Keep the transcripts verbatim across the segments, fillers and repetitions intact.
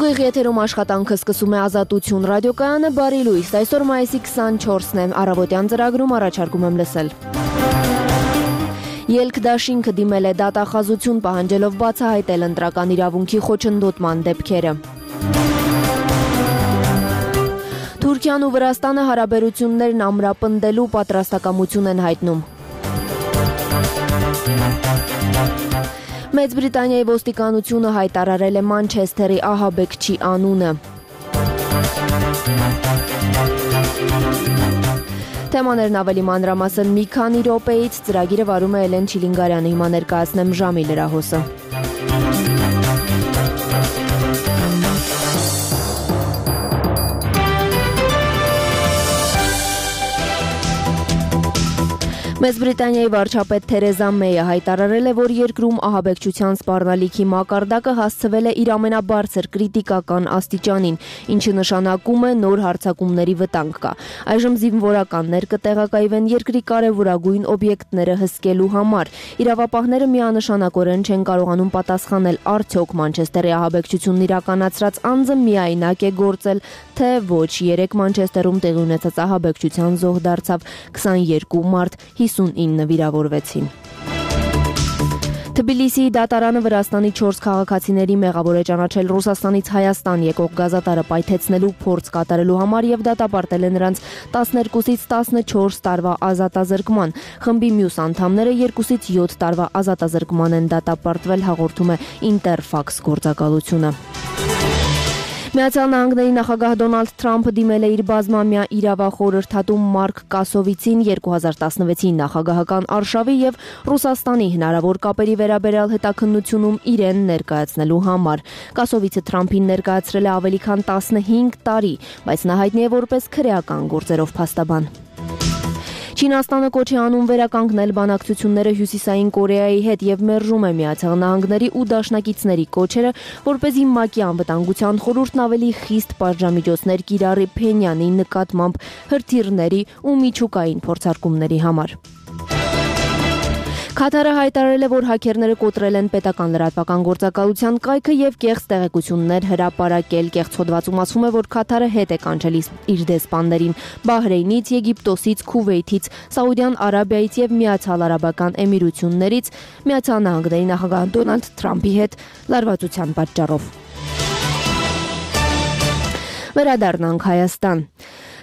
Ուղիղ եթերում աշխատանքը սկսում է Ազատություն ռադիոկայանը, բարի լույս, այսօր մայիսի քսանչորսն է, առավոտյան ծրագրում առաջարկում եմ լսել։ Ելք դաշինքը դիմել է դատախազություն, պահանջելով բացահայտել ընտրական իրավունքի խոչընդոտման դեպքերը։ Թուրքիան ու Վրաստանը հարաբերություններն ամրապնդելու պատրաստակամություն են հայտնում։ Մեծ Բրիտանիայի ոստիկանությունը հայտարարել է Մանչեսթերի ահաբեկչի անունը։ Թեմաներն ավելի մանրամասն մի քանի րոպեից, ծրագիրը վարում է Էլեն Չիլինգարյանը, հիմա ներկայացնեմ ժամի լրահոսը։ Մեծ Բրիտանիայի վարչապետ Թերեզա Մեյը հայտարարել է, որ երկրում ահաբեկչության սպառնալիքի մակարդակը հասցվել է իր ամենաբարձր կրիտիկական աստիճանին, ինչը նշանակում է նոր հարձակումների վտանգ կա։ Այժմ զինվորականներ կտեղակայվեն երկրի կարևորագույն օբյեկտները հսկելու համար։ Իրավապահները միանշանակորեն չեն կարողանում պատասխանել, արդյոք Մանչեսթերի ահաբեկչությունն իրականացրած անձը միայնակ է գործել, թե ոչ։ Երեկ Մանչեսթերում տեղի ունեցած ահաբեկչության զոհ դարձավ քսաներկու մարդ, հիսունինը վիրավորվեցին։ Թբիլիսիի դատարանը Վրաստանի չորս քաղաքացիների մեղավոր է ճանաչել Ռուսաստանից Հայաստան եկող գազատարը պայթեցնելու փորձ կատարելու համար եւ դատապարտել է նրանց տասներկուսից տասնչորս տարվա ազատազրկման։ Խմբի մյուս անդամները երկուսից յոթ տարվա ազատազրկման են դատապարտվել, հաղորդում է Ինտերֆաքս գործակալությունը։ Միացյալ Նահանգների նախագահ Դոնալդ Թրամփը դիմել է իր բազմամյա իրավախորհրդատու Մարկ Կասովիցին երկու հազար տասնվեցի նախագահական արշավի եւ Ռուսաստանի հնարավոր կապերի վերաբերյալ հետաքննությունում իրեն ներկայացնելու համար։ Կասովիցը Թրամփին ներկայացրել է ավելի քան տասնհինգ տարի, բայց նա հայտնի է որպես քրեական գործերով փաստաբան։ Չինաստանը կոչ է անում վերականգնել բանակցությունները Հյուսիսային Կորեայի հետ եւ մերժում է Միացյալ Նահանգների ու դաշնակիցների կոչերը, որպեսզի ՄԱԿ-ի անվտանգության խորհուրդն ավելի խիստ պատժամիջոցներ կիրառի Փենյանի նկատմամբ հրթիռների ու միջուկային փորձարկումների համար։ Քաթարը հայտարարել է, որ հաքերները կոտրել են պետական լրատվական գործակալության կայքը եւ կեղծ տեղեկություններ հրապարակել։ Կեղծ հոդվածում ասվում է, որ Քաթարը հետ է կանչել իր դեսպաններին Բահրեյնից, Եգիպտոսից, Քուվեյթից, Սաուդյան Արաբիայից եւ Միացյալ Արաբական Էմիրություններից Միացյալ Նահանգների նախագահ Դոնալդ Թրամփի հետ լարվածության պատճառով։ Վերադառնանք Հայաստան։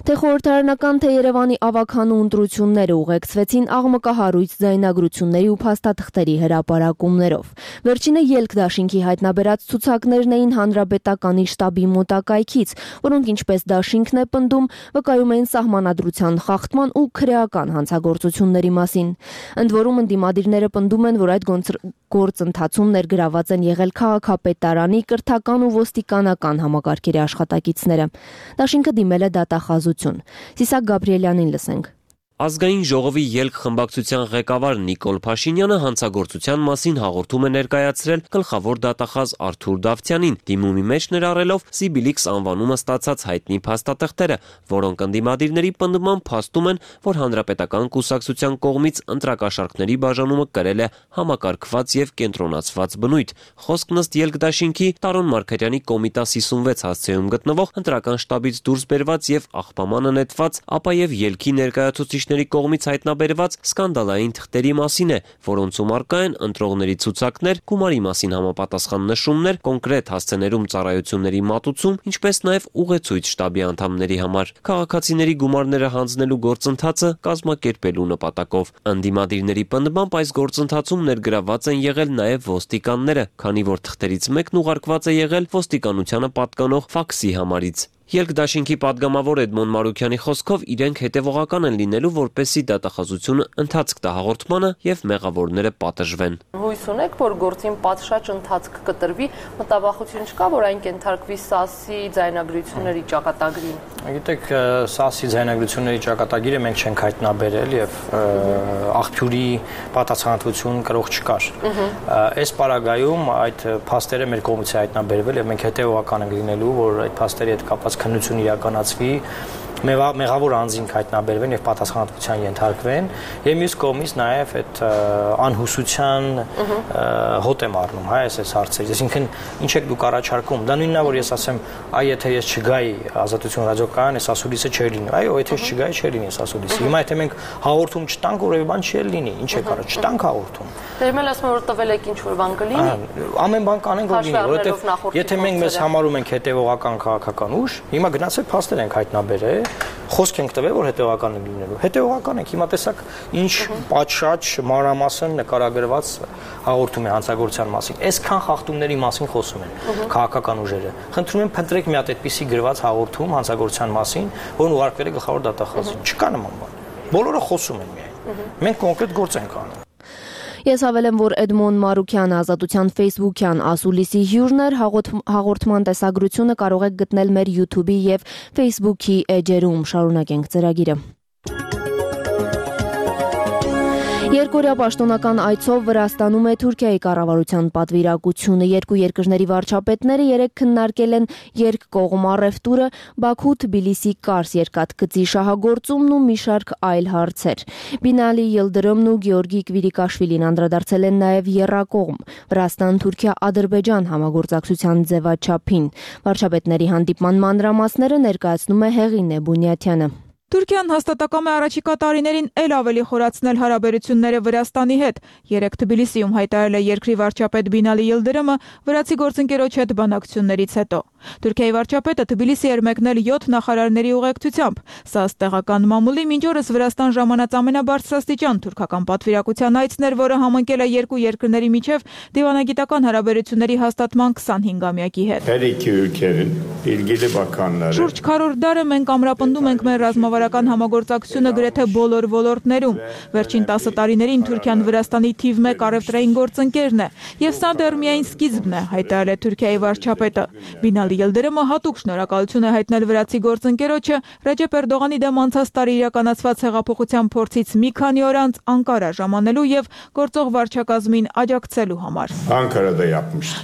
Թե խորհրդարանական, թե Երևանի ավագանու ընտրությունները ուղեկցվեցին աղմկահարույց ձայնագրությունների ու փաստաթղթերի հրապարակումներով։ Վերջինը ելք դաշինքի հայտնաբերած ցուցակներն էին Հանրապետականի շտաբի մոտակայքից, որոնք ինչպես դաշինքն է պնդում, վկայում էին սահմանադրության խախտման ու քրեական հանցագործությունների մասին։ Ընդ որում ընդդիմադիրները պնդում են, որ այդ գործընթացում ներգրաված են եղել քաղաքապետարանի, կրթական ու ոստիկանական համակարգերի աշխատակիցները։ Դաշինքը դիմել է դատախազություն։ Սիսակ Գաբրիելյանին լսենք։ Ազգային ժողովի ելք խմբակցության ղեկավար Նիկոլ Փաշինյանը հանցագործության մասին հաղորդում է ներկայացրել գլխավոր դատախազ Արթուր Դավթյանին, դիմումի մեջ ներառելով Սիբիլիքս անվանումը ստացած հայտնի փաստաթղթերը, որոնք ընդդիմադիրների պնդմամբ փաստում են, որ հանրապետական կուսակցության կողմից ընտրակաշառքների բաժանումը կրել է համակարգված եւ կենտրոնացված բնույթ։ Խոսքն ըստ ելք դաշինքի Տարոն Մարգարյանի Կոմիտաս հիսունվեց հասցեում գտնվող ընտրական շտաբից դուրս բերված եւ աղբամանը նետված, ապա եւ ելքի ներկայացուցիչ կողմից հայտնաբերված սկանդալային թղթերի մասին է, որոնցում առկա են ընտրողների ցուցակներ, գումարի մասին համապատասխան նշումներ, կոնկրետ հասցեներում ծառայությունների մատուցում, ինչպես նաև ուղեցույց շտաբի անդամների համար, քաղաքացիների գումարները հանձնելու գործընթացը կազմակերպելու նպատակով։ Ընդդիմադիրների պնդմամբ այս գործընթացում ներգրաված են եղել նաև ոստիկանները, քանի որ թղթերից մեկն ուղարկված է եղել ոստիկանությանը պատկանող ֆաքսի համարից։ Ելք դաշինքի падգամավոր Էդմոն Մարուքյանի խոսքով իրենք հետևողական են լինելու, որպեսզի դատախազությունը ընթացք տա հաղորդմանը եւ մեղավորները պատժվեն։ Հույս ունեք, որ գործին պատշաճ ընթացք կտրվի, մտավախություն չկա, որ այն կենթարկվի ՍԱՍ-ի ձայնագրությունների ճակատագրին։ Գիտեք, ՍԱՍ-ի ձայնագրությունների ճակատագիրը մենք չենք հայտնաբերել եւ աղբյուրի պատասխանատվություն կրող չկար։ Այս պարագայում այդ փաստերը մեր կողմից է հայտնաբերվել եւ մենք հետեւողական ենք լինելու, որ այդ փաստերի հետ կապված քննություն իրականացվի մեղավոր անձին հայտնաբերվեն եւ պատասխանատվության ենթարկվեն, եւ մյուս կողմից նաեւ այդ անհուսության հոտ եմ առնում, հա, այս հարցերից։ Այսինքն ինչ եք դուք առաջարկում։ Դա նույնն է, որ ես ասեմ, այ եթե ես չգայի Ազատություն ռադիոկայան, այս ասուլիսը չէր լինի։ Այո, եթե ես չգայի, չէր լինի այս ասուլիսը։ Հիմա եթե մենք հաղորդում չտանք, որևէ բան չի լինի, ինչ է կարա, չտանք հաղորդում։ Դերմել ասում որ տվել եք ինչ որ բան կլինի։ Ամեն բան կանենք որ լինի, որովհետեւ եթե մենք մեզ համարում ենք հետևողական քաղաքական ուժ, հիմա գնացել փաստեր ենք հայտնաբերել, խոսք ենք տվել որ հետևողական են լինելու։ Հետևողական ենք, հիմա տեսակ ինչ պատշաճ մանրամասն նկարագրված հաղորդում է հանցագործության մասին։ Այսքան խախտումների մասին խոսում են քաղաքական ուժերը։ Խնդրում եմ փնտրեք մի հատ այդպիսի գրված հաղորդում հանցագործության մասին, որն ուղարկվել է գլխավոր դատախազին։ Չկա նման բան։ Բոլորը խոսում են միայն։ Մենք կոնկրետ գործ ենք անում։ Ես հավելեմ, որ Էդմոն Մարուկյանը Ազատության Facebook-յան ասուլիսի հյուրն էր, հաղորդման տեսագրությունը կարող եք գտնել մեր YouTube-ի եւ Facebook-ի էջերում։ Շարունակենք ծրագիրը։ Երկօրյա պաշտոնական այցով Վրաստանում է Թուրքիայի կառավարության պատվիրակությունը։ Երկու երկրների վարչապետները երեկ քննարկել են երկկողմ առևտուրը, Բաքու-Թբիլիսի-Կարս երկաթգծի շահագործումն ու մի շարք այլ հարցեր։ Բինալի Յիլդրոմն ու Գեորգի Կվիրիկաշվիլին անդրադարձել են նաև եռակողմ Վրաստան-Թուրքիա-Ադրբեջան համագործակցության ձևաչափին։ Վարչապետների հանդիպման մանրամասները ներկայացնում է Հեղինե Բունյաթյանը։ Թուրքիան հաստատակամ է առաջիկա տարիներին էլ ավելի խորացնել հարաբերությունները Վրաստանի հետ։ Երեկ Թբիլիսիում հայտարարել է երկրի վարչապետ Բինալի Յիլդրոմը վրացի գործընկերոջ հետ բանակցություններից հետո։ Թուրքիայի վարչապետը Թբիլիսի էր մեկնել յոթ նախարարների ուղեկցությամբ։ Սա ըստ տեղական մամուլի մինչ օրս Վրաստան ժամանած ամենաբարձրաստիճան թուրքական պատվիրակության այցն էր, որը համընկել է երկու երկրների միջև դիվանագիտական հարաբերությունների հաստատման քսանհինգամյակի հետ։ Շուրջ քառորդ դար է մենք ամրապնդում ենք մեր ռազմավարական համագործակցությունը գրեթե բոլոր ոլորտներում։ Վերջին տասը տարիներին Թուրքիան Վրաստանի թիվ մեկ առևտրային գործընկերն է, եւ սա դեռ միայն սկիզբն է, հայտարարել է Թուրքիայի վարչապետը։ Բինալի Յիլդրոմը հատուկ շնորհակալություն է հայտնել վրացի գործընկերոջը Ռեջեփ Էրդողանի դեմ անցած տարի իրականացված հեղափոխության փորձից մի քանի օր անց Անկարա ժամանելու եւ գործող վարչակազմին աջակցելու համար։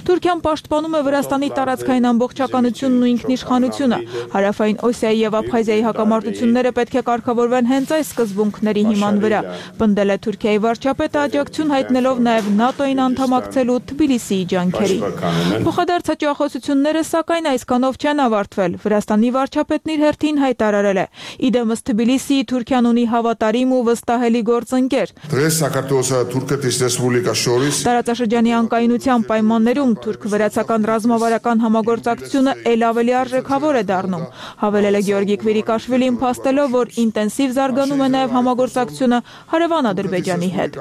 Թուրքիան պաշտպանում է Վրաստանի տարածքային ամբողջականությունն ու ինքնիշխանությունը։ Հարավային Օսիայի եւ Աբխազիայի հակամարտությունները պետք է կարգավորվեն հենց այս սկզբունքների հիման վրա։ Պնդել է Թուրքիայի վարչապետը աջակցություն հայտնելով նաեւ ՆԱՏՕ-ին անդամակցելու Թբիլիսիի ջանքերին։ Փոխադարձ հաջողությունները սակայն այսքանով չեն ավարտվել։ Վրաստանի վարչապետն իր հերթին հայտարարել է. Իդեմս Թբիլիսիի Թուրքիան ունի հավատարիմ ու վստահելի գործընկեր։ Տարածաշրջանի անկայունության պայմաններում թուրք-վրացական ռազմավարական համագործակցությունը ել ավելի արժեքավոր է դառնում։ Հավելել է Գեորգի Կվիրիկաշվիլին, փաստելով, որ ինտենսիվ զարգանում է նաև համագործակցությունը հարևան Ադրբեջանի հետ։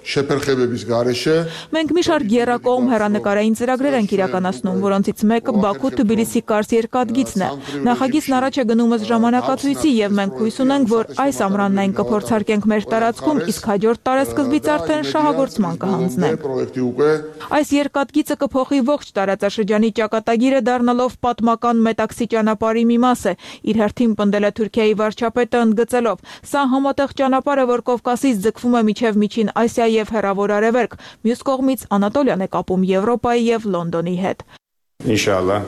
Մենք մի շարք եռակողմ հեռանկարային ծրագրեր ենք իրականացնում, որոնցից մեկը Բաքու-Թբիլիսի-Կարս երկաթգիծն է։ Նախագիծն առաջ է գնում ըստ ժամանակացույցի եւ մենք հույս ունենք, որ այս ամռանն այն կփորձարկենք մեր տարածքում, իսկ հաջորդ տարեսկզբից արդեն շահագործման կհանձնենք։ Այս երկաթգիծը կփոխի ողջ տարածաշրջանի ճակատագիրը, դառնալով պատմական Մետաքսի ճանապարհի մի մասը։ Իր հերթին պնդել է Թուրքիայի վարչապետը, ընդգծելով. Սա համատեղ ճանապարհ է, որ Կովկասից ձգվում է միջև Միջին Ասիա եւ Հեռավոր Արևելք, մյուս կողմից Անատոլիան է կապում Եվրոպայի եւ Լոնդոնի հետ։ Ինշալլահ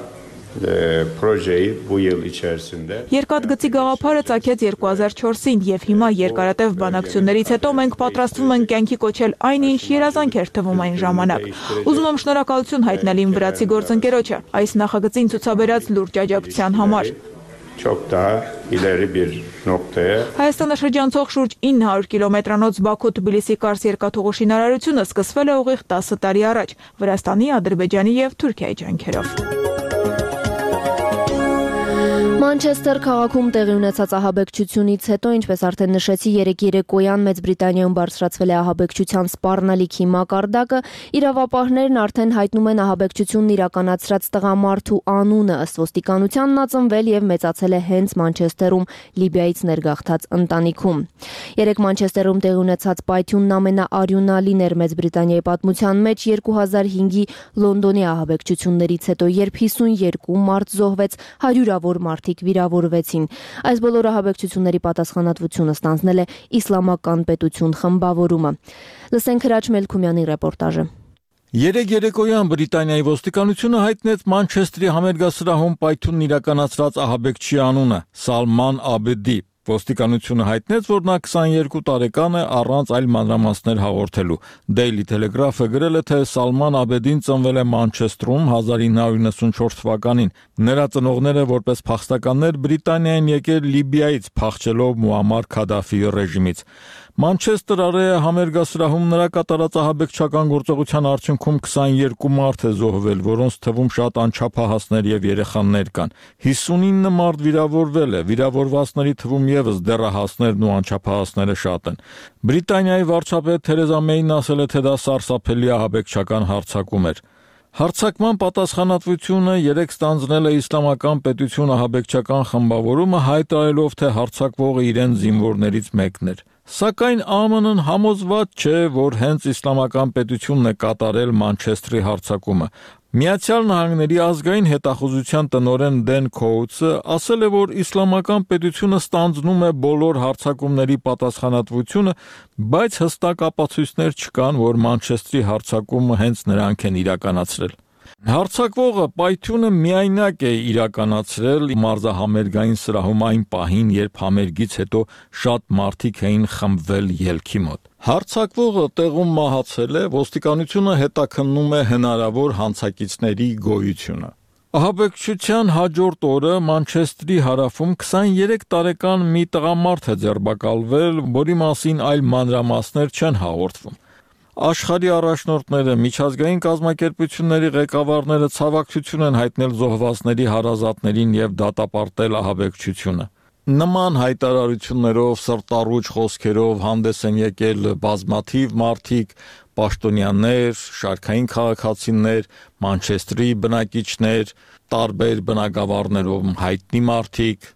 Երկաթգծի գաղափարը ծագեց երկու հազար չորսին եւ հիմա երկարատև բանակցություններից հետո մենք պատրաստվում ենք կյանքի կոչել այն, ինչ երազանք էր թվում այն ժամանակ։ Ուզում եմ շնորհակալություն հայտնել իմ վրացի գործընկերոջը այս նախագծին ցուցաբերած լուրջ աջակցության համար։ Հայաստանը շրջանցող շուրջ ինը հարյուր կիլոմետրանոց Բաքու-Թբիլիսի-Կարս երկաթուղու շինարարությունը սկսվել է ուղիղ տասը տարի առաջ Վրաստանի, Ադրբեջանի եւ Թուրքիայի ջանքերով։ Մանչեսթեր քաղաքում տեղի ունեցած ահաբեկչությունից հետո, ինչպես արդեն նշեցի, երեկ երեկոյան Մեծ Բրիտանիայում բարձրացվել է ահաբեկչության սպառնալիքի մակարդակը, իրավապահներն արդեն հայտնում են ահաբեկչությունն իրականացրած տղամարդու անունը, ըստ ոստիկանության նա ծնվել եւ մեծացել է հենց Մանչեսթերում Լիբիայից ներգաղթած ընտանիքում։ Երեկ Մանչեսթերում տեղի ունեցած պայթյունն ամենաարյունալին էր Մեծ Բրիտանիայի պատմության մեջ երկու հազար հինգի Լոնդոնի ահաբեկչություններից հետո, երբ հիսունյերկու մարդ զոհվեց, հարյուրավոր մարդիկ վիրավորվեցին։ Այս բոլոր ահաբեկչությունների պատասխանատվությունը ստանձնել է Իսլամական պետություն խմբավորումը։ Լսենք Հրաչ Մելքումյանի ռեպորտաժը։ Երեկ երեկոյան Բրիտանիայի ոստիկանությունը հայտնեց Մանչեստրի համերգասրահում պայթյունն իրականացրած ահաբեկչի անունը՝ Սալման Աբեդի։ Ոստիկանությունը հայտնեց, որ նա քսաներկու տարեկան է, առանց այլ մանրամասներ հաղորդելու։ Daily Telegraph-ը գրել է, թե Սալման Աբեդին ծնվել է Մանչեստրում հազար ինը հարյուր նվաթ թվականին։ Նրա ծնողները որպես փախստականներ Բրիտանիա են եկել Լիբիայից, փախչելով Մուամմար Քադաֆիի ռեժիմից։ Մանչեստր Արեա համերգասրահում նրա կատարած ահաբեկչական գործողության արդյունքում քսաներկու մարդ է զոհվել, որոնց թվում շատ անչափահասներ եւ երեխաներ կան։ հիսունինը մարդ վիրավորվել է, վիրավորվածների թվում եւս դեռահասներն ու անչափահասները շատ են։ Բրիտանիայի վարչապետ Թերեզա Մեյն ասել է, թե դա սարսափելի ահաբեկչական հարձակում էր։ Հարձակման պատասխանատվությունը երեք ստանձնել է Իսլամական պետություն ահաբեկչական խմբավորումը, հայտարարելով, թե հարձակվողը իրեն զինվորներից մեկն էր։ Սակայն ԱՄՆ-ն համոզված չէ, որ հենց Իսլամական պետությունն է կատարել Մանչեստրի հարձակումը։ Միացյալ Նահանգների ազգային հետախուզության տնօրեն Դեն Քոուտսը ասել է, որ Իսլամական պետությունը ստանձնում է բոլոր հարձակումների պատասխանատվությունը, բայց հստակ ապացույցներ չկան, որ Մանչեստրի հարձակումը հենց նրանք են իրականացրել։ Հարձակվողը պայթյունը միայնակ է իրականացրել մարզահամերգային սրահում այն պահին, երբ համերգից հետո շատ մարդիկ էին խմբվել ելքի մոտ։ Հարձակվողը տեղում մահացել է, ոստիկանությունը հետաքննում է հնարավոր հանցակիցների գոյությունը։ Ահաբեկչության հաջորդ օրը Մանչեստրի հարավում քսաներեք տարեկան մի տղամարդ է ձերբակալվել, որի մասին այլ մանրամասներ չեն հաղորդվում։ Աշխարհի առաջնորդները, միջազգային կազմակերպությունների ղեկավարները ցավակցություն են հայտնել զոհվածների հարազատներին եւ դատապարտել ահաբեկչությունը։ Նման հայտարարություններով, սրտառուչ խոսքերով հանդես են եկել բազմաթիվ մարդիկ, պաշտոնյաներ, շարքային քաղաքացիներ, Մանչեստրի բնակիչներ, տարբեր բնակավարներով հայտնի մարդիկ։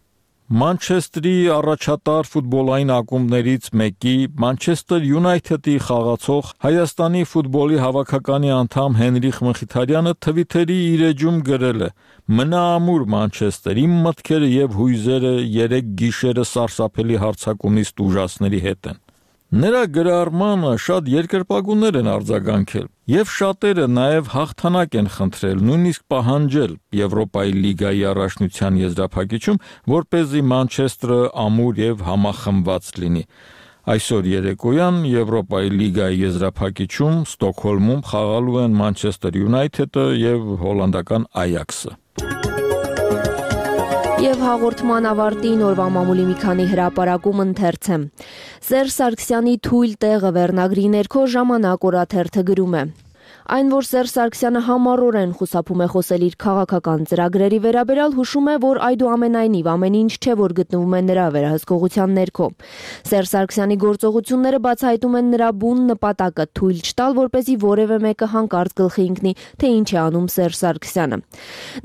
Մանչեստրի առաջատար ֆուտբոլային ակումբներից մեկի Մանչեստեր Յունայթեդի խաղացող Հայաստանի ֆուտբոլի հավաքականի անդամ Հենրիխ Մխիթարյանը Թվիթերի իր էջում գրել է. «Մնա ամուր Մանչեստեր, իմ մտքերը եւ հույզերը երեք գիշերը սարսափելի հարձակումից տուժածների հետ են»։ Նրա գրառմանը շատ երկրպագուներ են արձագանքել, եւ շատերը նաեւ հաղթանակ են խնդրել, նույնիսկ պահանջել Եվրոպայի լիգայի առաջնության եզրափակիչում, որպեսզի Մանչեստրը ամուր եւ համախմբված լինի։ Այսօր երեկոյան Եվրոպայի լիգայի եզրափակիչում Ստոկհոլմում խաղալու են Մանչեստեր Յունայթեդը եւ հոլանդական Այաքսը։ Եվ հաղորդման ավարտին օրվա մամուլի մի քանի հրապարակում ընթերցեմ։ Սերժ Սարգսյանի թույլ տեղը վերնագրի ներքո Ժամանակ օրաթերթը գրում է. Այն, որ Սերժ Սարգսյանը համառորեն խուսափում է խոսել իր քաղաքական ծրագրերի վերաբերյալ, հուշում է, որ այդուամենայնիվ ամեն ինչ չէ, որ գտնվում է նրա վերահսկողության ներքո։ Սերժ Սարգսյանի գործողությունները բացահայտում են նրա բուն նպատակը՝ թույլ չտալ, որպեսզի որևէ մեկը հանկարծ գլխի ընկնի, թե ինչ է անում Սերժ Սարգսյանը։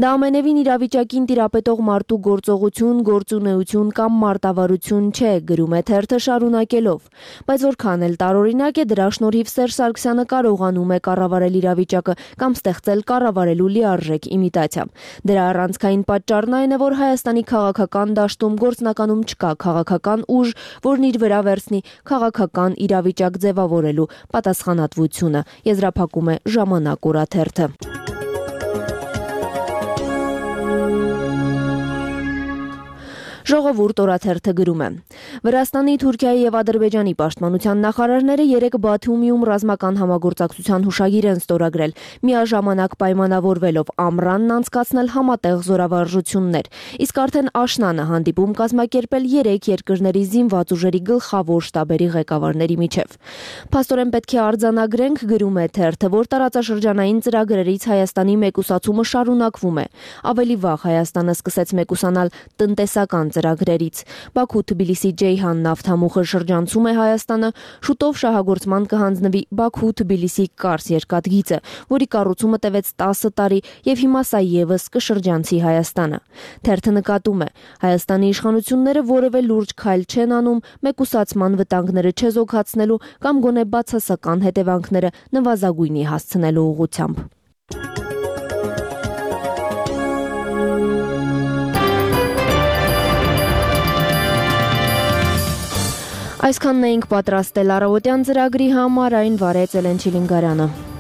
Դա ամենևին իրավիճակին տիրապետող մարդու գործողություն, գործունեություն կամ մարտավարություն չէ, գրում է թերթը շարունակելով։ Բայց որքան էլ տարօրինակ է, դրա շնորհիվ Սերժ Սարգսյանը կարողանում է կառավարել իրավիճակը կամ ստեղծել կառավարելու լիարժեք իմիտացիա։ Դրա առանցքային պատճառն այն է, որ Հայաստանի քաղաքական դաշտում գործնականում չկա քաղաքական ուժ, որն իր վրա վերցնի քաղաքական իրավիճակ ձևավորելու պատասխանատվությունը, եզրափակում է Ժամանակ օրաթերթը։ Ժողովուրդ օրաթերթը գրում է. Վրաստանի, Թուրքիայի եւ Ադրբեջանի պաշտպանության նախարարները երեկ Բաթումիում ռազմական համագործակցության հուշագիր են ստորագրել, միաժամանակ պայմանավորվելով ամռանն անցկացնել համատեղ զորավարժություններ, իսկ արդեն աշնանը հանդիպում կազմակերպել երեք երկրների զինված ուժերի գլխավոր շտաբերի ղեկավարների միջև։ Փաստորեն պետք է արձանագրենք, գրում է թերթը, որ տարածաշրջանային ծրագրերից Հայաստանի մեկուսացումը շարունակվում է։ Ավելի վաղ Հայաստանը սկսեց մեկուսանալ տնտեսական ծրագրերից։ Բաքու-Թբիլիսի Ջեյհան նավթամուխը շրջանցում է Հայաստանը, շուտով շահագործման կհանձնվի Բաքու-Թբիլիսի Կարս երկաթգիծը, որի կառուցումը տևեց տասը տարի եւ հիմա սա եւս կշրջանցի Հայաստանը։ Թերթը նկատում է, Հայաստանի իշխանությունները որևէ լուրջ քայլ չեն անում մեկուսացման վտանգները չեզոքացնելու կամ գոնե բացասական հետևանքները նվազագույնի հասցնելու ուղղությամբ։ Այսքանն էինք պատրաստել առավոտյան ծրագրի համար, այն վարեց Էլեն Չիլինգարյանը։